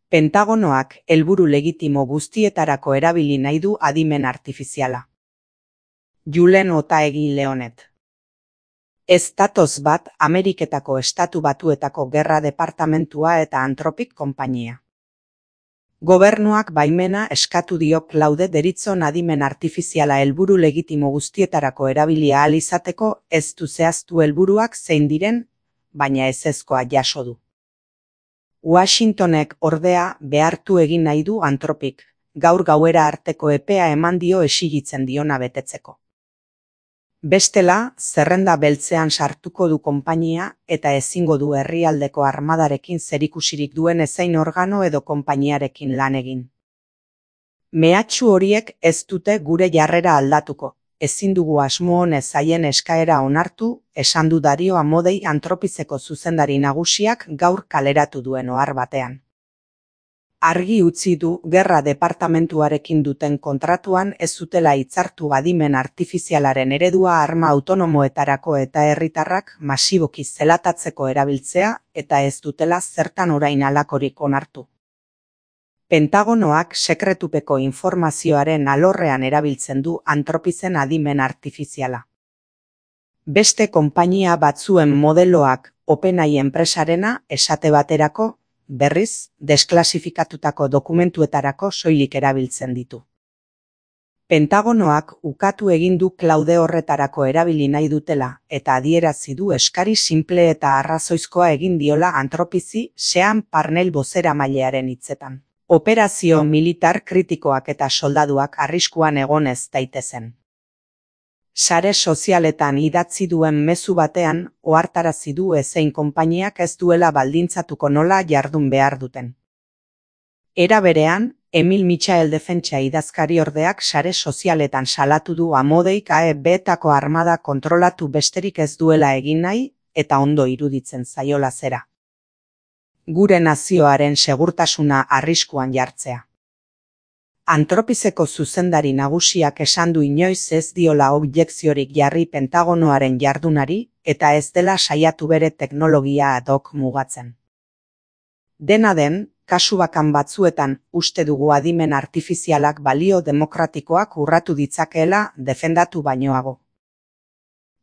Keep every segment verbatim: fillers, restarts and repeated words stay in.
Pentagonoak helburu legitimo guztietarako erabili nahi du adimen artifiziala. Julen Otaegi Leonet. Ez datoz bat Ameriketako Estatu Batuetako Gerra Departamentua eta Anthropic konpainia. Gobernuak baimena eskatu dio Claude deritzon adimen artifiziala helburu legitimo guztietarako erabilia ahal izateko, ez du zehaztu helburuak zein diren, baina ezezkoa jaso du. Washingtonek ordea behartu egin nahi du Anthropic, gaur gauera arteko epea eman dio exigitzen diona betetzeko. Bestela, zerrenda beltzean sartuko du konpainia eta ezingo du herrialdeko armadarekin zerikusirik duen ezein organo edo konpainiarekin lan egin. Mehatxu horiek ez dute gure jarrera aldatuko, ezin dugu asmo honez haien eskaera onartu, esan du Dario Amodei Anthropiceko zuzendari nagusiak gaur kaleratu duen ohar batean. Argi utzi du Gerra Departamentuarekin duten kontratuan ez zutela hitzartu adimen artifizialaren eredua arma autonomoetarako eta herritarrak masiboki zelatatzeko erabiltzea eta ez dutela zertan orain halakorik onartu. Pentagonoak sekretupeko informazioaren alorrean erabiltzen du Anthropicen adimen artifiziala. Beste konpainia batzuen modeloak OpenAI enpresarena esate baterako, berriz, desklasifikatutako dokumentuetarako soilik erabiltzen ditu. Pentagonoak ukatu egin du Claude horretarako erabili nahi dutela eta adierazi du eskari sinple eta arrazoizkoa egin diola Anthropici Sean Parnell bozeramailearen hitzetan. Operazio militar kritikoak eta soldaduak arriskuan egon ez daitezen. Sare sozialetan idatzi duen mezu batean ohartarazi du ezein konpainiak ez duela baldintzatuko nola jardun behar duten. Era berean, Emil Michael defentsa idazkariordeak sare sozialetan salatu du Amodeik A E B-etako armada kontrolatu besterik ez duela egin nahi eta ondo iruditzen zaiola zera. Gure nazioaren segurtasuna arriskuan jartzea. Anthropiceko zuzendari nagusiak esan du inoiz ez diola objekziorik jarri Pentagonoaren jardunari eta ez dela saiatu bere teknologia ad hoc mugatzen. Dena den, kasu bakan batzuetan uste dugu adimen artifizialak balio demokratikoak urratu ditzakeela defendatu bainoago.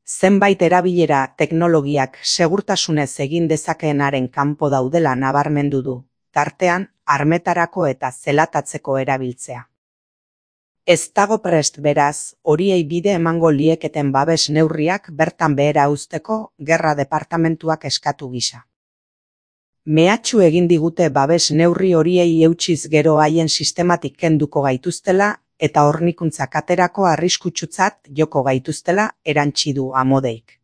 Zenbait erabilera teknologiak segurtasunez egin dezakeenaren kanpo daudela nabarmendu du, tartean, armetarako eta zelatatzeko erabiltzea. Ez dago prest beraz, horiei bide emango lieketen babes neurriak bertan behera uzteko Gerra Departamentuak eskatu gisa. Mehatxu egin digute babes neurri horiei eutsiz gero haien sistematik kenduko gaituztela eta hornikuntzak aterako arriskutsutzat joko gaituztela erantsi du Amodeik.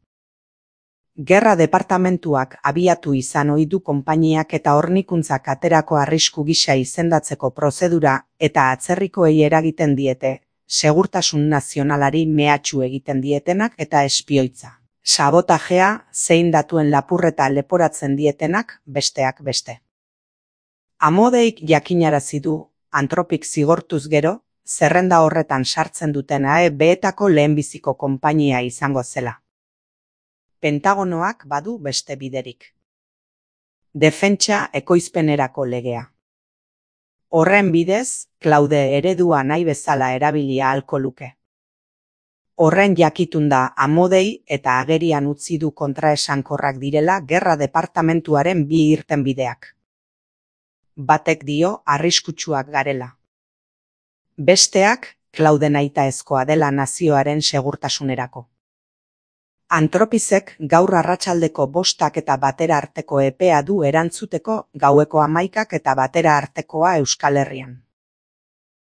Gerra Departamentuak abiatu izan ohi du konpainiak eta hornikuntzak aterako arrisku gisa izendatzeko prozedura eta atzerrikoei eragiten diete, segurtasun nazionalari mehatxu egiten dietenak eta espioitza, sabotajea, zein datuen lapurreta leporatzen dietenak besteak beste. Amodeik jakinarazi du, Anthropic zigortuz gero, zerrenda horretan sartzen duten A E B-etako lehenbiziko konpainia izango zela. Pentagonoak badu beste biderik. Defentsa ekoizpenerako legea. Horren bidez, Claude eredua nahi bezala erabilia ahalko luke. Horren jakitun da Amodei eta agerian utzi du kontraesankorrak direla Gerra Departamentuaren bi irtenbideak. Batek dio arriskutsuak garela. Besteak, Claude nahitaezkoa dela nazioaren segurtasunerako. Anthropicek gaur arratsaldeko bostak eta batera arteko epea du erantzuteko gaueko hamaikak eta batera artekoa Euskal Herrian.